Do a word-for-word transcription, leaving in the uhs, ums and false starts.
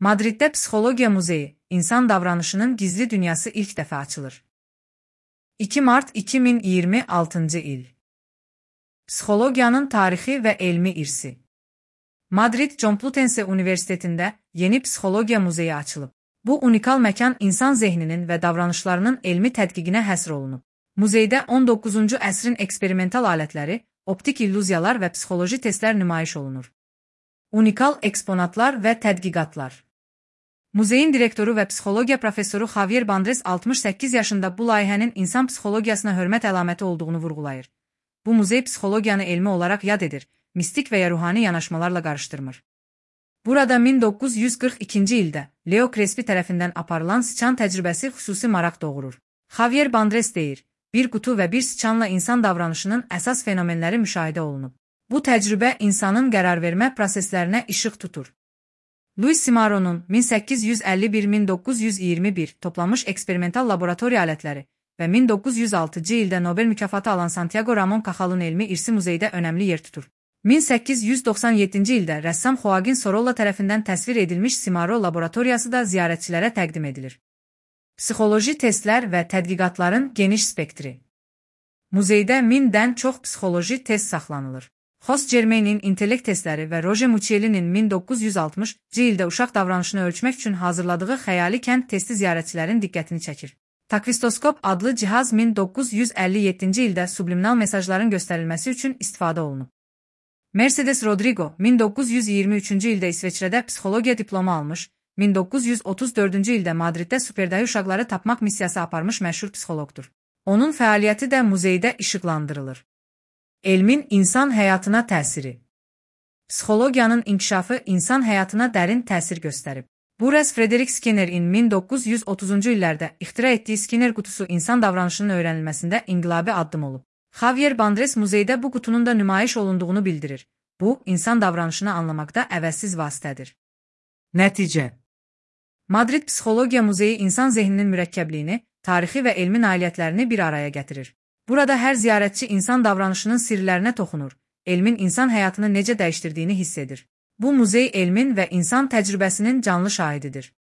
Madriddə Psixologiya Muzeyi, insan davranışının gizli dünyası ilk dəfə açılır. iki mart iki min iyirmi altıncı il. Psixologiyanın tarixi və elmi irsi. Madrid Complutense Universitetində yeni Psixologiya Muzeyi açılıb. Bu unikal məkan insan zehninin və davranışlarının elmi tədqiqinə həsr olunub. Muzeydə on doqquzuncu əsrin eksperimental alətləri, optik illüziyalar və psixoloji testlər nümayiş olunur. Unikal eksponatlar və tədqiqatlar. Muzeyin direktoru və psixologiya professoru Javier Bandres altmış səkkiz yaşında bu layihənin insan psixologiyasına hörmət əlaməti olduğunu vurğulayır. Bu muzey psixologiyanı elmi olaraq yad edir, mistik və ya ruhani yanaşmalarla qarışdırmır. Burada min doqquz yüz qırx ikinci ildə Leo Crespi tərəfindən aparılan sıçan təcrübəsi xüsusi maraq doğurur. Javier Bandres deyir, bir qutu və bir sıçanla insan davranışının əsas fenomenləri müşahidə olunub. Bu təcrübə insanın qərarvermə proseslərinə işıq tutur. Luis Cimaro'nun min səkkiz yüz əlli bir - min doqquz yüz iyirmi bir toplanmış eksperimental laboratoriya alətləri və min doqquz yüz altıncı ildə Nobel mükafatı alan Santiago Ramon Cajal'ın elmi irsi muzeydə önəmli yer tutur. min səkkiz yüz doxsan yeddinci ildə rəssam Joaquin Sorolla tərəfindən təsvir edilmiş Cimaro laboratoriyası da ziyarətçilərə təqdim edilir. Psixoloji testlər və tədqiqatların geniş spektri. Muzeydə mindən çox psixoloji test saxlanılır. Jos Germain'in intellekt testləri və Roger Muccielli'nin min doqquz yüz altmışıncı ildə uşaq davranışını ölçmək üçün hazırladığı xəyali kənd testi ziyarətçilərin diqqətini çəkir. Takvistoskop adlı cihaz min doqquz yüz əlli yeddinci ildə subliminal mesajların göstərilməsi üçün istifadə olunub. Mercedes Rodrigo min doqquz yüz iyirmi üçüncü ildə İsveçrədə psixologiya diplomu almış, min doqquz yüz otuz dördüncü ildə Madriddə superdayı uşaqları tapmaq missiyası aparmış məşhur psixoloqdur. Onun fəaliyyəti də muzeydə işıqlandırılır. Elmin insan həyatına təsiri. Psixologiyanın inkişafı insan həyatına dərin təsir göstərib. Boris Frederick Skinnerin min doqquz yüz otuzuncu illərdə ixtira etdiyi Skinner qutusu insan davranışının öyrənilməsində inqilabi addım olub. Javier Bandres muzeydə bu qutunun da nümayiş olunduğunu bildirir. Bu, insan davranışını anlamaqda əvəzsiz vasitədir. Nəticə. Madrid Psixologiya Muzeyi insan zehninin mürəkkəbliyini, tarixi və elmi nailiyyətlərini bir araya gətirir. Burada hər ziyarətçi insan davranışının sirlərinə toxunur, elmin insan həyatını necə dəyişdirdiyini hiss edir. Bu muzey elmin və insan təcrübəsinin canlı şahididir.